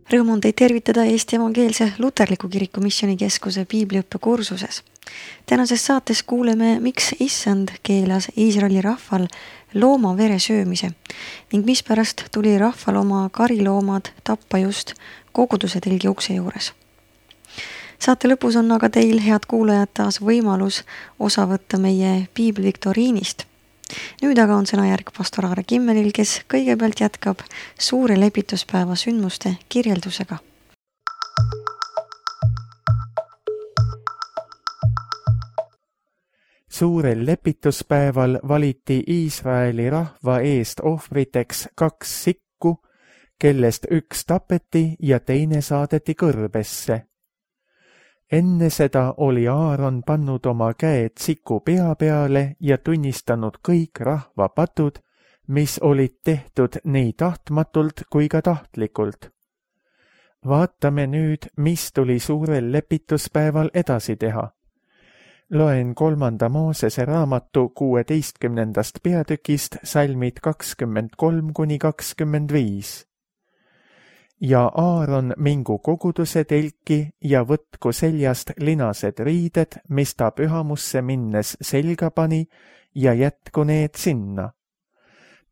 Rõõm on teid tervitada Eesti Evangeelse Luterliku Kiriku Missioonikeskuse piibliõppe kursuses. Tänases saates kuuleme, miks Issand keelas Iisraeli rahval looma vere söömise ning mispärast tuli rahval oma kariloomad tappa just koguduse telgi ukse juures. Saate lõpus on aga teil, head kuulajad, taas võimalus osa võtta meie piibliviktoriinist. Nüüd aga on sõnajärg pastor Aare Kimmelil, kes kõigepealt jätkab suure lepituspäeva sündmuste kirjeldusega. Suurel lepituspäeval valiti Iisraeli rahva eest ohvriteks 2 sikku, kellest 1 tapeti ja teine saadeti kõrbesse. Enne seda oli Aaron pannud oma käed siku pea peale ja tunnistanud kõik rahva patud, mis olid tehtud nii tahtmatult kui ka tahtlikult. Vaatame nüüd, mis tuli suurel lepituspäeval edasi teha. Loen 3. Moosese raamatu 16. peatükist salmid 23–25. Ja Aaron mingu koguduse telki ja võtku seljast linased riided, mis ta pühamusse minnes selga pani, ja jätku need sinna.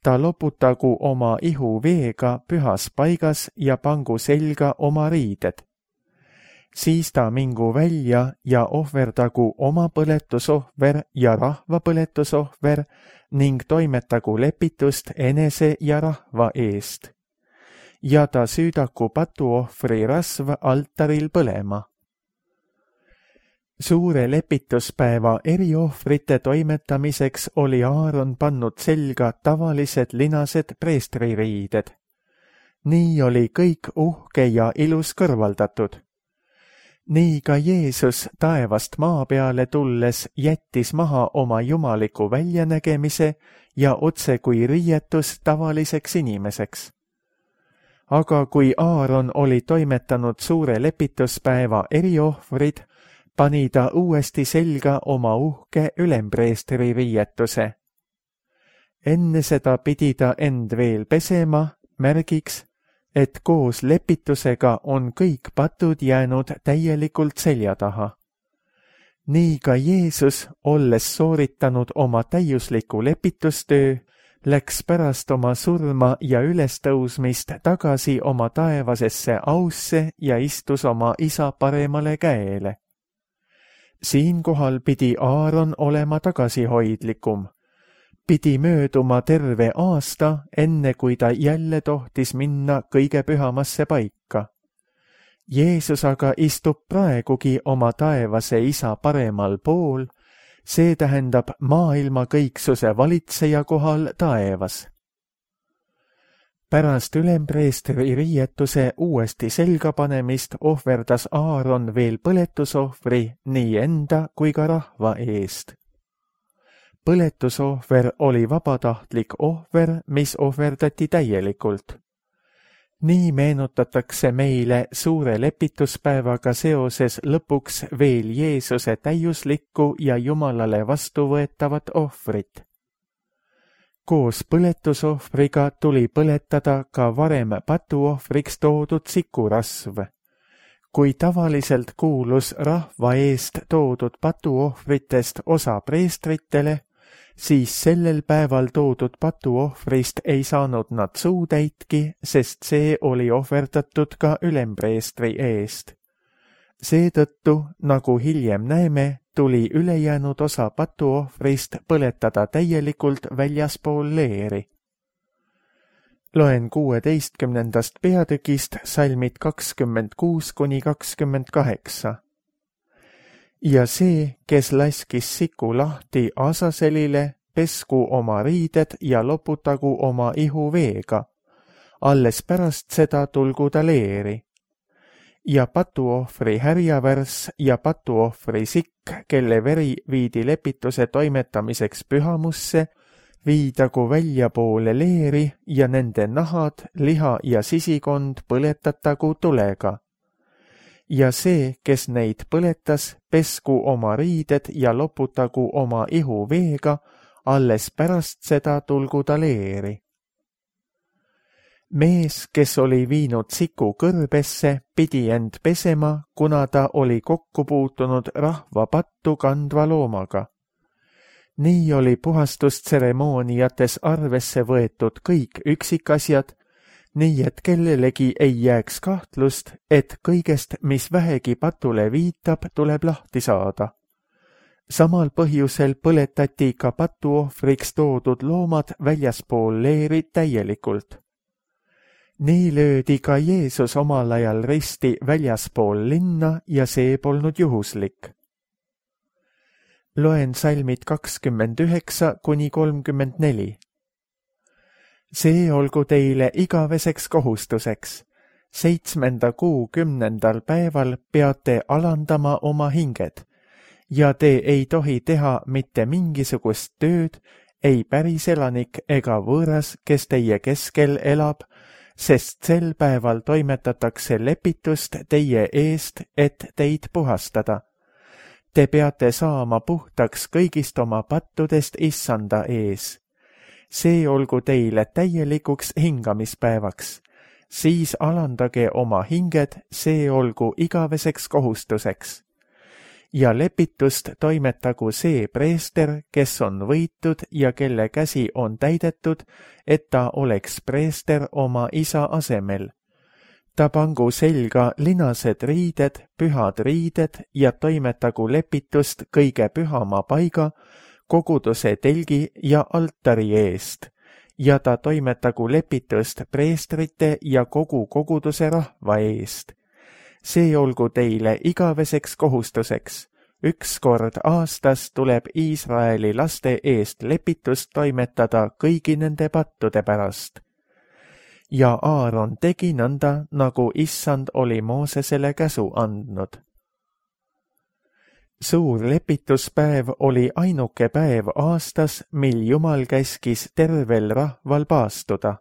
Ta loputagu oma ihu veega pühas paigas ja pangu selga oma riided. Siis ta mingu välja ja ohverdagu oma põletusohver ja rahva põletusohver ning toimetagu lepitust enese ja rahva eest. Ja ta süüdaku patuohvri rasv altaril põlema. Suure lepituspäeva eriohvrite toimetamiseks oli Aaron pannud selga tavalised linased preestririided. Nii oli kõik uhke ja ilus kõrvaldatud. Nii ka Jeesus taevast maa peale tulles jättis maha oma jumaliku väljanägemise ja otse kui riietus tavaliseks inimeseks. Aga kui Aaron oli toimetanud suure lepituspäeva eriohvrid, pani ta uuesti selga oma uhke ülempreestri riietuse. Enne seda pidi ta end veel pesema, märgiks, et koos lepitusega on kõik patud jäänud täielikult selja taha. Nii ka Jeesus, olles sooritanud oma täiusliku lepitustöö, läks pärast oma surma ja ülestõusmist tagasi oma taevasesse ausse ja istus oma isa paremale käele. Siinkohal pidi Aaron olema tagasihoidlikum. Pidi mööduma terve aasta, enne kui ta jälle tohtis minna kõige pühamasse paika. Jeesus aga istub praegugi oma taevase isa paremal pool, see tähendab maailma kõiksuse valitseja kohal taevas. Pärast ülempreestri riietuse uuesti selgapanemist ohverdas Aaron veel põletusohvri nii enda kui ka rahva eest. Põletusohver oli vabatahtlik ohver, mis ohverdati täielikult. Nii meenutatakse meile suure lepituspäevaga seoses lõpuks veel Jeesuse täiuslikku ja Jumalale vastuvõetavat ohvrit. Koos põletusohvriga tuli põletada ka varem patuohvriks toodud sikurasv. Kui tavaliselt kuulus rahva eest toodud patuohvritest osa preestritele, siis sellel päeval toodud patuohvrist ei saanud nad suutäitki, sest see oli ohverdatud ka ülempreestri eest. Seetõttu, nagu hiljem näeme, tuli ülejäänud osa patuohvrist põletada täielikult väljaspool leeri. Loen 16. peatükist salmid 26–28. Ja see, kes laskis siku lahti Asaselile, pesku oma riided ja loputagu oma ihu veega. Alles pärast seda tulgu ta leeri. Ja patuohvri härjavärss ja patuohvri sikk, kelle veri viidi lepituse toimetamiseks pühamusse, viidagu väljapoole leeri ja nende nahad, liha ja sisikond põletatagu tulega. Ja see, kes neid põletas, pesku oma riided ja loputagu oma ihu veega, alles pärast seda tulgu ta leeri. Mees, kes oli viinud siku kõrbesse, pidi end pesema, kuna ta oli kokku puutunud rahva pattu kandva loomaga. Nii oli puhastustseremooniates arvesse võetud kõik üksikasjad, nii et kellelegi ei jääks kahtlust, et kõigest, mis vähegi patule viitab, tuleb lahti saada. Samal põhjusel põletati ka patuohvriks toodud loomad väljaspool leeri täielikult. Nii löödi ka Jeesus omal ajal risti väljaspool linna ja see polnud juhuslik. Loen salmid 29–34. See olgu teile igaveseks kohustuseks. 7. kuu 10. päeval peate alandama oma hinged ja te ei tohi teha mitte mingisugust tööd, ei päriselanik ega võõras, kes teie keskel elab, sest sel päeval toimetatakse lepitust teie eest, et teid puhastada. Te peate saama puhtaks kõigist oma pattudest Issanda ees. See olgu teile täielikuks hingamispäevaks. Siis alandage oma hinged, see olgu igaveseks kohustuseks. Ja lepitust toimetagu see preester, kes on võitud ja kelle käsi on täidetud, et ta oleks preester oma isa asemel. Ta pangu selga linased riided, pühad riided ja toimetagu lepitust kõige pühama paiga, koguduse telgi ja altari eest, ja ta toimetagu lepitust preestrite ja kogu koguduse rahva eest. See olgu teile igaveseks kohustuseks. 1 kord aastas tuleb Iisraeli laste eest lepitust toimetada kõigi nende pattude pärast. Ja Aaron tegi nõnda, nagu Issand oli Moosesele käsu andnud. Suur lepituspäev oli ainuke päev aastas, mil Jumal käskis tervel rahval paastuda.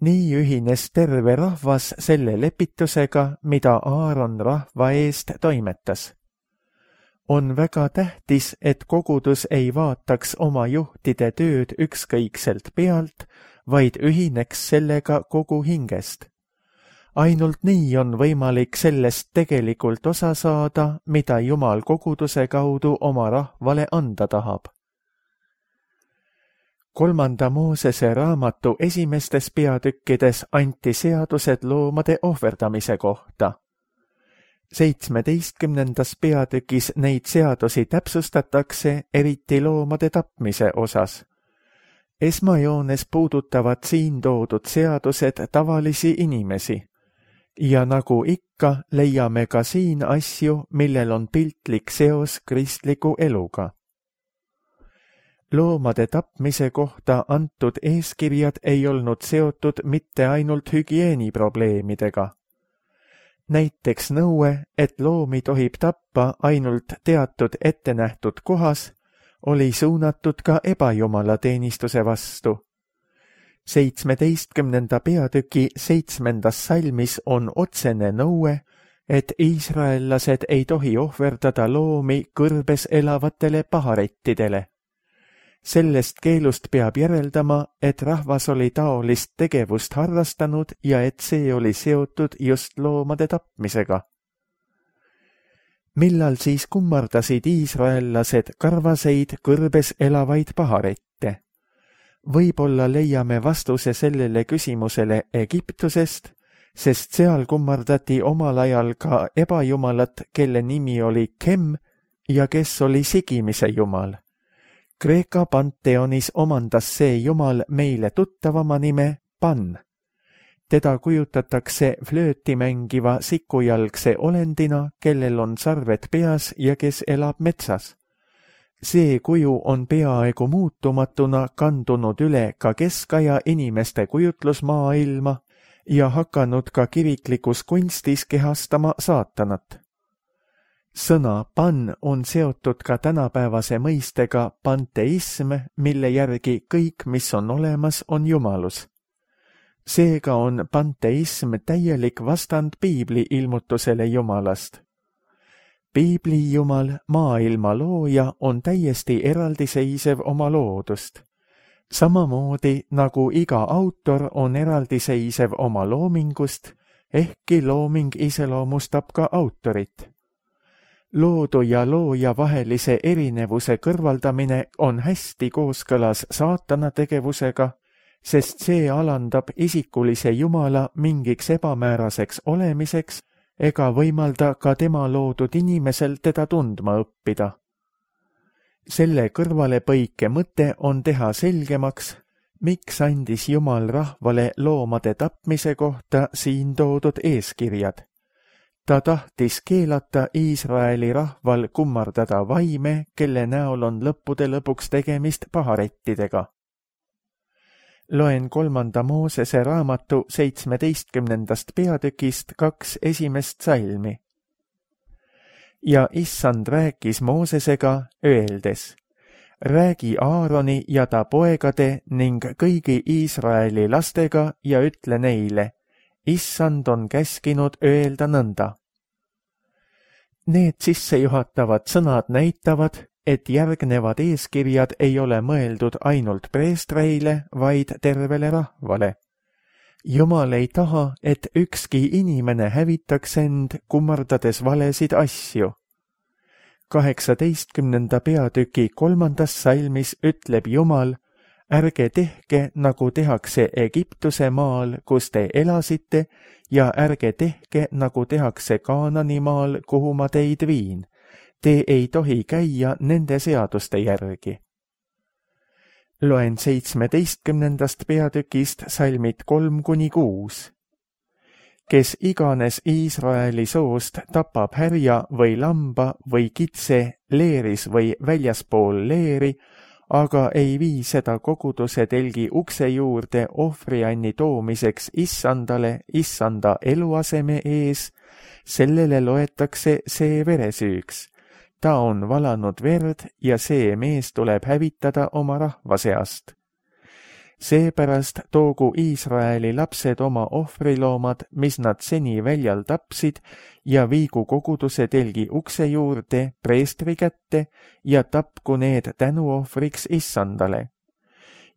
Nii ühines terve rahvas selle lepitusega, mida Aaron rahva eest toimetas. On väga tähtis, et kogudus ei vaataks oma juhtide tööd ükskõikselt pealt, vaid ühineks sellega kogu hingest. Ainult nii on võimalik sellest tegelikult osa saada, mida Jumal koguduse kaudu oma rahvale anda tahab. 3. Moosese raamatu esimestes peatükkides anti seadused loomade ohverdamise kohta. 17. peatükis neid seadusi täpsustatakse, eriti loomade tapmise osas. Esmajoones puudutavad siin toodud seadused tavalisi inimesi. Ja nagu ikka, leiame ka siin asju, millel on piltlik seos kristliku eluga. Loomade tapmise kohta antud eeskirjad ei olnud seotud mitte ainult hügieeniprobleemidega. Näiteks nõue, et loomi tohib tappa ainult teatud ettenähtud kohas, oli suunatud ka ebajumalateenistuse vastu. 17. peatüki 7. salmis on otsene nõue, et iisraellased ei tohi ohverdada loomi kõrbes elavatele paharettidele. Sellest keelust peab järeldama, et rahvas oli taolist tegevust harrastanud ja et see oli seotud just loomade tapmisega. Millal siis kummardasid iisraellased karvaseid kõrbes elavaid paharette? Võib-olla leiame vastuse sellele küsimusele Egiptusest, sest seal kummardati omal ajal ka ebajumalat, kelle nimi oli Kem ja kes oli sigimise jumal. Kreeka panteonis omandas see jumal meile tuttavama nime Pan. Teda kujutatakse flööti mängiva sikujalgse olendina, kellel on sarved peas ja kes elab metsas. See kuju on peaaegu muutumatuna kandunud üle ka keskaja inimeste kujutlusmaailma ja hakanud ka kiriklikus kunstis kehastama saatanat. Sõna pan on seotud ka tänapäevase mõistega panteism, mille järgi kõik, mis on olemas, on jumalus. Seega on panteism täielik vastand piibli ilmutusele jumalast. Piibli jumal, maailma looja, on täiesti eraldiseisev oma loodust. Samamoodi nagu iga autor on eraldiseisev oma loomingust, ehkki looming iseloomustab ka autorit. Loodu ja looja vahelise erinevuse kõrvaldamine on hästi kooskõlas saatana tegevusega, sest see alandab isikulise Jumala mingiks ebamääraseks olemiseks ega võimalda ka tema loodud inimesel teda tundma õppida. Selle kõrvalepõike mõte on teha selgemaks, miks andis Jumal rahvale loomade tapmise kohta siin toodud eeskirjad. Ta tahtis keelata Iisraeli rahval kummardada vaime, kelle näol on lõppude lõpuks tegemist paharettidega. Loen 3. Moosese raamatu 17. peatükist 2 esimest salmi. Ja Issand rääkis Moosesega, öeldes: räägi Aaroni ja ta poegade ning kõigi Iisraeli lastega ja ütle neile: Issand on käskinud öelda nõnda. Need sissejuhatavad sõnad näitavad, et järgnevad eeskirjad ei ole mõeldud ainult preestreile, vaid tervele rahvale. Jumal ei taha, et ükski inimene hävitaks end, kummardades valesid asju. 18. peatüki 3. salmis ütleb Jumal: ärge tehke, nagu tehakse Egiptuse maal, kus te elasite, ja ärge tehke, nagu tehakse Kaanani maal, kuhu ma teid viin. Te ei tohi käia nende seaduste järgi. Loen 17. peatükist salmid 3-6. Kes iganes Iisraeli soost tapab härja või lamba või kitse leeris või väljaspool leeri, aga ei vii seda koguduse telgi ukse juurde ohvrianni toomiseks Issandale Issanda eluaseme ees, sellele loetakse see veresüüks. Ta on valanud verd ja see mees tuleb hävitada oma rahva seast. Seepärast toogu Iisraeli lapsed oma ohvriloomad, mis nad seni väljal tapsid, ja viigu koguduse telgi ukse juurde preestri kätte ja tapku need tänuohvriks Issandale.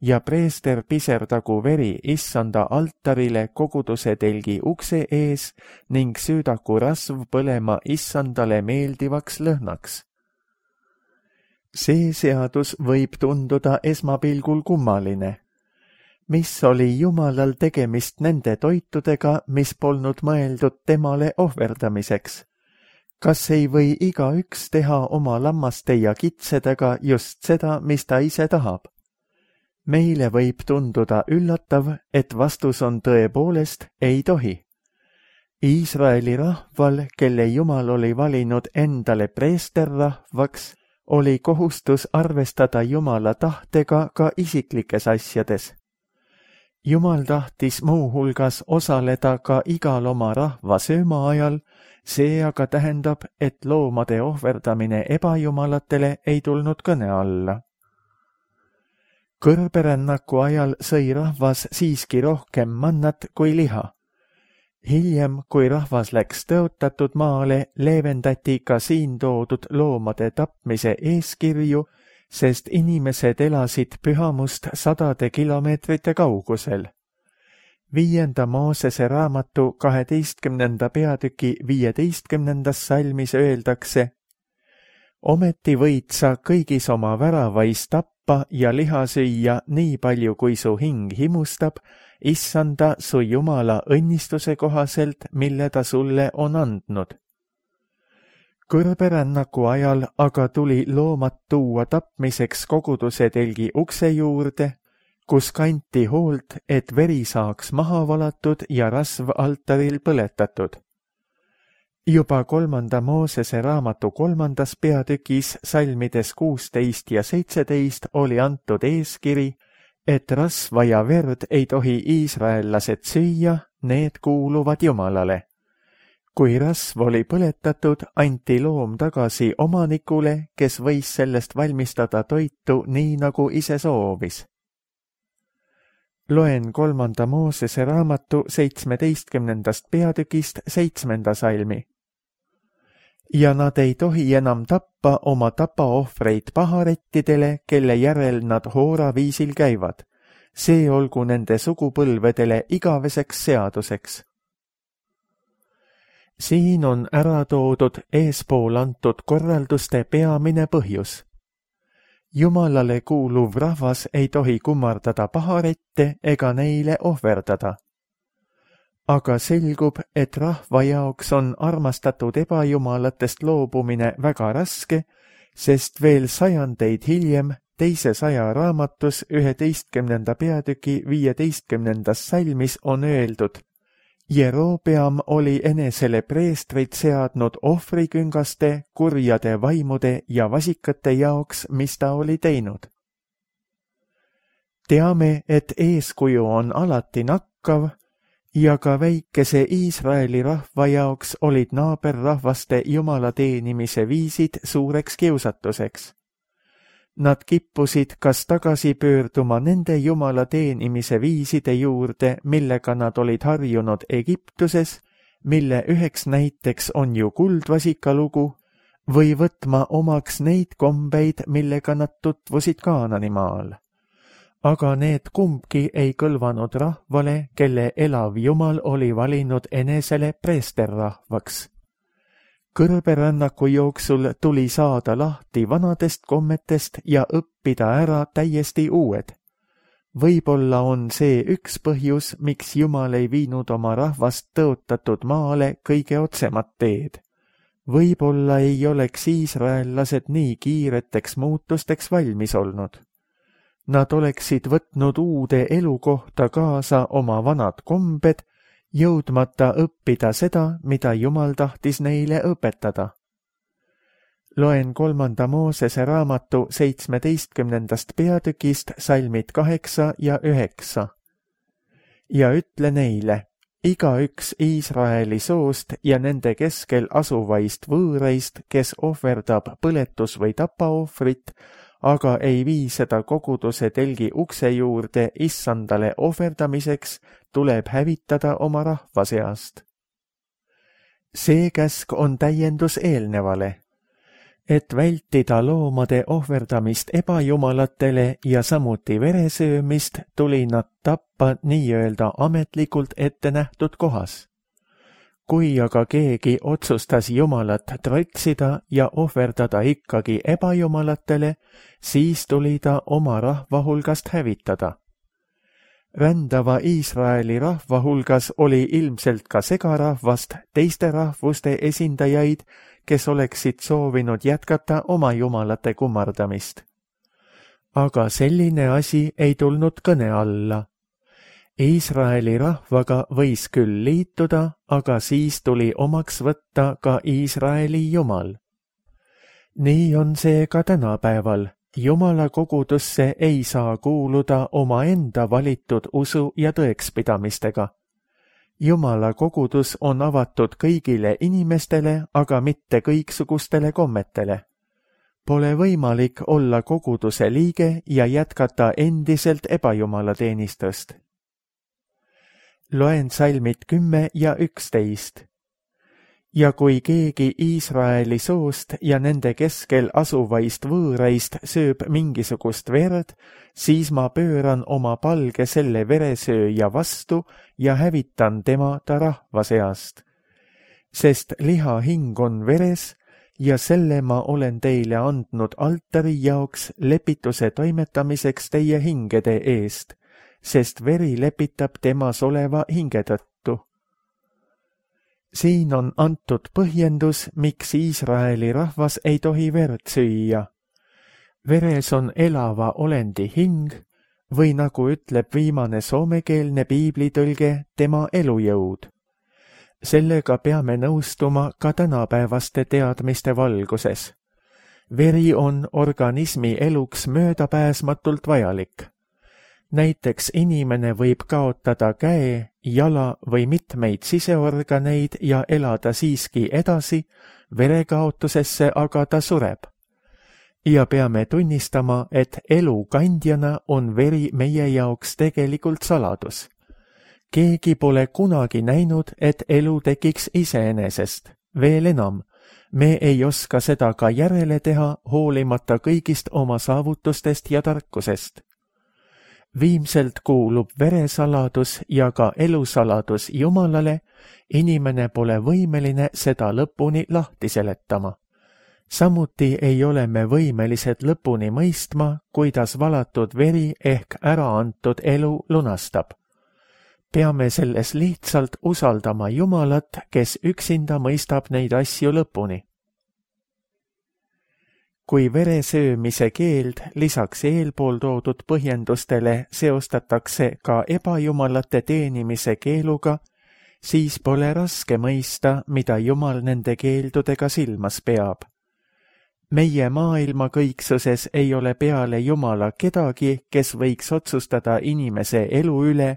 Ja preester piserdagu veri Issanda altarile koguduse telgi ukse ees ning süüdaku rasv põlema Issandale meeldivaks lõhnaks. See seadus võib tunduda esmapilgul kummaline. Mis oli Jumalal tegemist nende toitudega, mis polnud mõeldud temale ohverdamiseks? Kas ei või igaüks teha oma lammaste ja kitsedega just seda, mis ta ise tahab? Meile võib tunduda üllatav, et vastus on tõepoolest ei tohi. Iisraeli rahval, kelle Jumal oli valinud endale preesterrahvaks, oli kohustus arvestada Jumala tahtega ka isiklikes asjades. Jumal tahtis muuhulgas osaleda ka igal oma rahva sööma ajal, see aga tähendab, et loomade ohverdamine ebajumalatele ei tulnud kõne alla. Kõrberännaku ajal sõi rahvas siiski rohkem mannat kui liha. Hiljem, kui rahvas läks tõotatud maale, leevendati ka siin toodud loomade tapmise eeskirju, sest inimesed elasid pühamust 100 kilomeetrite kaugusel. 5. Moosese raamatu 12. peatüki 15. salmis öeldakse: ometi võid sa kõigis oma väravais tappa ja liha süüa nii palju, kui su hing himustab, Issanda su Jumala õnnistuse kohaselt, mille ta sulle on andnud. Kõrberännaku ajal aga tuli loomad tuua tapmiseks koguduse telgi ukse juurde, kus kanti hoolt, et veri saaks maha valatud ja rasv altaril põletatud. Juba 3. Moosese raamatu 3. peatükis salmides 16 ja 17 oli antud eeskiri, et rasva ja verd ei tohi iisraellased süüa, need kuuluvad Jumalale. Kui rasv oli põletatud, anti loom tagasi omanikule, kes võis sellest valmistada toitu nii, nagu ise soovis. Loen 3. Moosese raamatu 17. peatükist 7. salmi. ja nad ei tohi enam tappa oma tapaohvreid paharettidele, kelle järel nad hooraviisil käivad. See olgu nende sugupõlvedele igaveseks seaduseks. Siin on ära toodud eespool antud korralduste peamine põhjus. Jumalale kuuluv rahvas ei tohi kummardada paharette ega neile ohverdada. Aga selgub, et rahva jaoks on armastatud ebajumalatest loobumine väga raske, sest veel sajandeid hiljem teise saja raamatus 11. peatüki 15. salmis on öeldud: Jerobeam oli enesele preestrid seadnud ohvriküngaste, kurjade vaimude ja vasikate jaoks, mis ta oli teinud. Teame, et eeskuju on alati nakkav ja ka väikese Iisraeli rahva jaoks olid naaberrahvaste jumala teenimise viisid suureks kiusatuseks. Nad kippusid kas tagasi pöörduma nende jumala teenimise viiside juurde, millega nad olid harjunud Egiptuses, mille üheks näiteks on ju kuldvasika lugu, või võtma omaks neid kombeid, millega nad tutvusid Kaananimaal. Aga need kumbki ei kõlvanud rahvale, kelle elav Jumal oli valinud enesele preesterrahvaks. Kõrberännaku jooksul tuli saada lahti vanadest kommetest ja õppida ära täiesti uued. Võib-olla on see üks põhjus, miks Jumal ei viinud oma rahvast tõotatud maale kõige otsemat teed. Võib-olla ei oleks iisraellased nii kiireteks muutusteks valmis olnud. Nad oleksid võtnud uude elukohta kaasa oma vanad kombed, jõudmata õppida seda, mida Jumal tahtis neile õpetada. Loen 3. Moosese raamatu 17. peatükist salmid 8 ja 9. Ja ütle neile: igaüks Iisraeli soost ja nende keskel asuvaist võõraist, kes ohverdab põletus- või tapaohvrit, aga ei vii seda koguduse telgi ukse juurde issandale ohverdamiseks, tuleb hävitada oma rahva seast. See käsk on täiendus eelnevale, et vältida loomade ohverdamist ebajumalatele ja samuti veresöömist, tuli nad tappa nii-öelda ametlikult ette nähtud kohas. Kui aga keegi otsustas Jumalat trotsida ja ohverdada ikkagi ebajumalatele, siis tuli ta oma rahva hulgast hävitada. Rändava Iisraeli rahva hulgas oli ilmselt ka segarahvast teiste rahvuste esindajaid, kes oleksid soovinud jätkata oma jumalate kummardamist. Aga selline asi ei tulnud kõne alla. Iisraeli rahvaga võis küll liituda, aga siis tuli omaks võtta ka Iisraeli Jumal. Nii on see ka tänapäeval. Jumala kogudusse ei saa kuuluda omaenda valitud usu ja tõekspidamistega. Jumala kogudus on avatud kõigile inimestele, aga mitte kõiksugustele kommetele. Pole võimalik olla koguduse liige ja jätkata endiselt ebajumalateenistust. Loen salmid 10 ja 11. Ja kui keegi Iisraeli soost ja nende keskel asuvaist võõraist sööb mingisugust verd, siis ma pööran oma palge selle veresööja vastu ja hävitan tema ta rahva seast. Sest liha hing on veres ja selle ma olen teile andnud altari jaoks lepituse toimetamiseks teie hingede eest, sest veri lepitab temas oleva hinge tõttu. Siin on antud põhjendus, miks Iisraeli rahvas ei tohi verd süüa. Veres on elava olendi hing või nagu ütleb viimane soomekeelne piiblitõlge, tema elujõud. Sellega peame nõustuma ka tänapäevaste teadmiste valguses. Veri on organismi eluks möödapääsmatult vajalik. Näiteks inimene võib kaotada käe, jala või mitmeid siseorganeid ja elada siiski edasi, verekaotusesse aga ta sureb. Ja peame tunnistama, et elu kandjana on veri meie jaoks tegelikult saladus. Keegi pole kunagi näinud, et elu tekiks iseenesest. Veel enam, Me ei oska seda ka järele teha, hoolimata kõigist oma saavutustest ja tarkusest. Viimselt kuulub veresaladus ja ka elusaladus Jumalale, inimene pole võimeline seda lõpuni lahti seletama. Samuti ei ole me võimelised lõpuni mõistma, kuidas valatud veri ehk ära antud elu lunastab. Peame selles lihtsalt usaldama Jumalat, kes üksinda mõistab neid asju lõpuni. Kui veresöömise keeld lisaks eelpool toodud põhjendustele seostatakse ka ebajumalate teenimise keeluga, siis pole raske mõista, mida Jumal nende keeldudega silmas peab. Meie maailma kõiksuses ei ole peale Jumala kedagi, kes võiks otsustada inimese elu üle,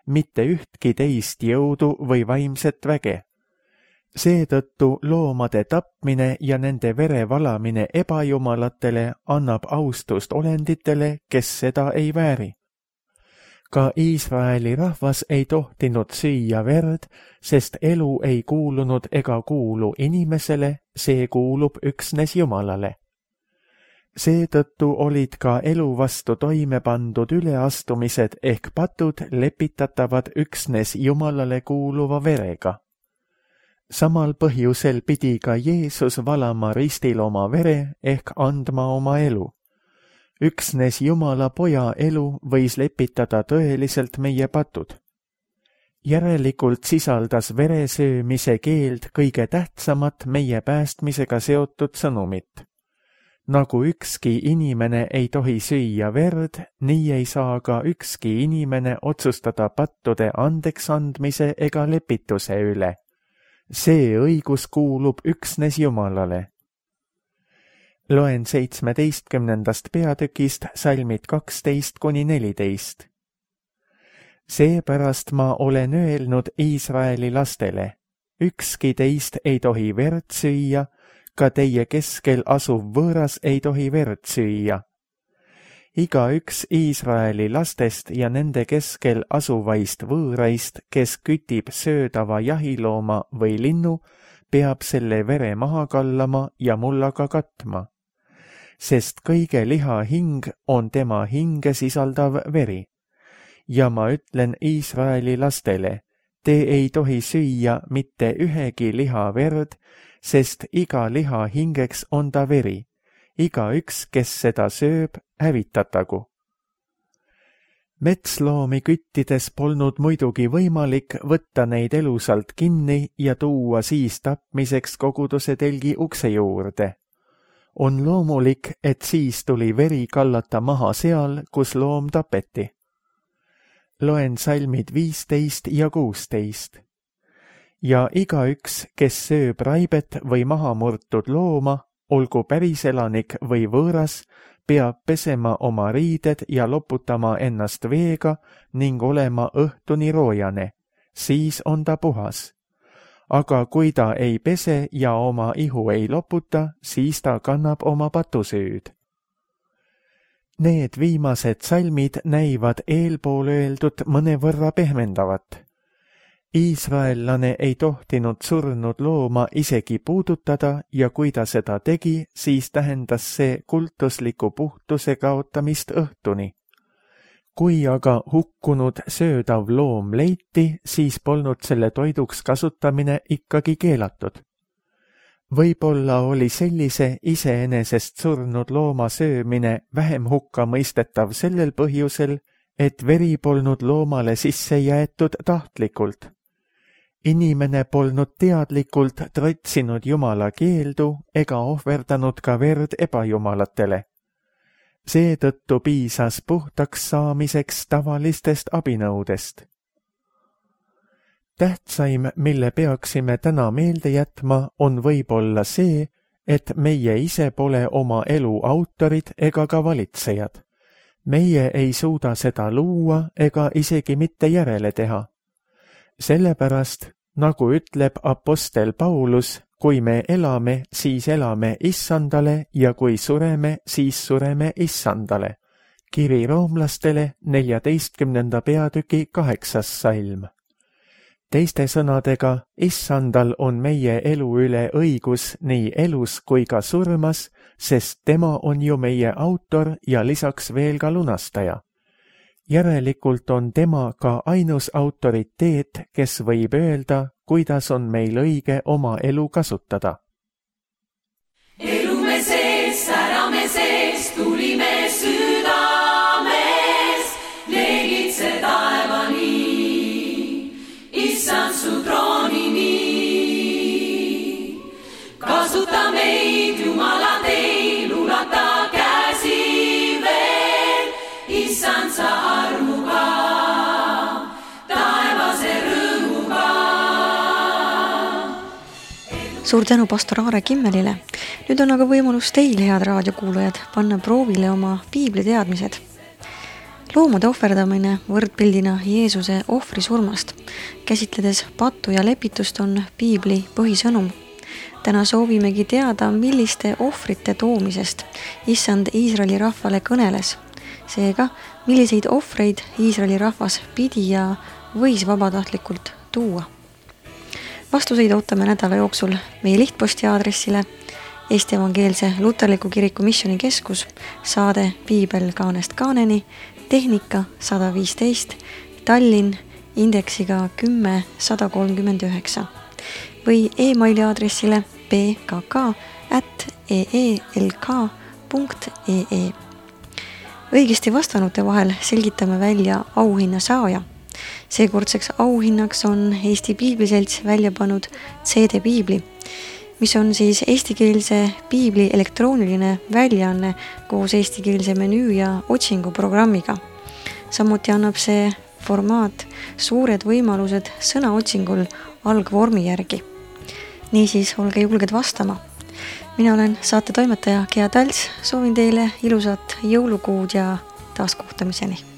mitte ühtki teist jõudu või vaimset väge. Seetõttu loomade tapmine ja nende vere valamine ebajumalatele annab austust olenditele, kes seda ei vääri. Ka Iisraeli rahvas ei tohtinud süüa verd, sest elu ei kuulunud ega kuulu inimesele, see kuulub üksnes Jumalale. Seetõttu olid ka elu vastu toime pandud üleastumised ehk patud lepitatavad üksnes Jumalale kuuluva verega. Samal põhjusel pidi ka Jeesus valama ristil oma vere ehk andma oma elu. Üksnes Jumala poja elu võis lepitada tõeliselt meie patud. Järelikult sisaldas veresöömise keeld kõige tähtsamat meie päästmisega seotud sõnumit. Nagu ükski inimene ei tohi süüa verd, nii ei saa ka ükski inimene otsustada pattude andeks andmise ega lepituse üle. See õigus kuulub üksnes Jumalale. Loen 17. peatükist salmid 12–14. Seepärast ma olen öelnud Iisraeli lastele, ükski teist ei tohi verd süüa, ka teie keskel asuv võõras ei tohi verd süüa. Igaüks Iisraeli lastest ja nende keskel asuvaist võõraist, kes kütib söödava jahilooma või linnu, peab selle vere maha kallama ja mullaga katma. Sest kõige liha hing on tema hinge sisaldav veri. Ja ma ütlen Iisraeli lastele, te ei tohi süüa mitte ühegi liha verd, sest iga liha hingeks on ta veri. Igaüks, kes seda sööb, hävitatagu. Metsloomi küttides polnud muidugi võimalik võtta neid elusalt kinni ja tuua siis tapmiseks koguduse telgi ukse juurde. On loomulik, et siis tuli veri kallata maha seal, kus loom tapeti. Loen salmid 15 ja 16. Ja igaüks, kes sööb raibet või mahamurtud looma, olgu päriselanik või võõras, peab pesema oma riided ja loputama ennast veega ning olema õhtuni roojane, siis on ta puhas. Aga kui ta ei pese ja oma ihu ei loputa, siis ta kannab oma patusüüd. Need viimased salmid näivad eelpool öeldud mõnevõrra pehmendavat. Iisraellane ei tohtinud surnud looma isegi puudutada ja kui ta seda tegi, siis tähendas see kultusliku puhtuse kaotamist õhtuni. Kui aga hukkunud söödav loom leiti, siis polnud selle toiduks kasutamine ikkagi keelatud. Võib-olla oli sellise iseenesest surnud looma söömine vähem hukka mõistetav sellel põhjusel, et veri polnud loomale sisse jäetud tahtlikult. Inimene polnud teadlikult trotsinud Jumala keeldu ega ohverdanud ka verd ebajumalatele. Seetõttu piisas puhtaks saamiseks tavalistest abinõudest. Tähtsaim, mille peaksime täna meelde jätma, on võib-olla see, et meie ise pole oma elu autorid ega ka valitsejad. Meie ei suuda seda luua ega isegi mitte järele teha. Sellepärast, nagu ütleb apostel Paulus, kui me elame, siis elame Issandale ja kui sureme, siis sureme Issandale. Kiri roomlastele 14. peatüki 8. salm. Teiste sõnadega, Issandal on meie elu üle õigus nii elus kui ka surmas, sest tema on ju meie autor ja lisaks veel ka lunastaja. Järelikult on tema ka ainus autoriteet, kes võib öelda, kuidas on meil õige oma elu kasutada. Elume sees, särame sees, tulime südames, leegitse taevani, Issand su troonini. Kasuta meid, Jumala teil, ulata käsi veel, Issand sa armuga, taevase rõõmuga. Suur tänu pastor Aare Kimmelile. Nüüd on aga võimalus teil, head raadiokuulajad, panna proovile oma piibliteadmised. Loomade ohverdamine võrdpildina Jeesuse ohvrisurmast, käsitledes pattu ja lepitust on piibli põhisõnum. Täna soovimegi teada, milliste ohvrite toomisest Issand Iisraeli rahvale kõneles. Seega, milliseid ohvreid Iisraeli rahvas pidi ja võis vabatahtlikult tuua. Vastuseid ootame nädala jooksul meie lihtposti aadressile Eesti Evangeelse Luterliku Kiriku Missioonikeskus, saade Piibel kaanest kaaneni, tehnika 115, Tallinn, indeksiga 10139 või e-maili aadressile pkk@eelk.ee. Õigesti vastanute vahel selgitame välja auhinna saaja. Seekordseks auhinnaks on Eesti Piibliselts välja pannud CD-piibli, mis on siis eestikeelse piibli elektrooniline väljaanne koos eestikeelse menüü ja otsinguprogrammiga. Samuti annab see formaat suured võimalused sõnaotsingul algvormi järgi. Niisiis, olge julged vastama. Mina olen saate toimetaja Gea Talts, soovin teile ilusat jõulukuud ja taaskohtamiseni.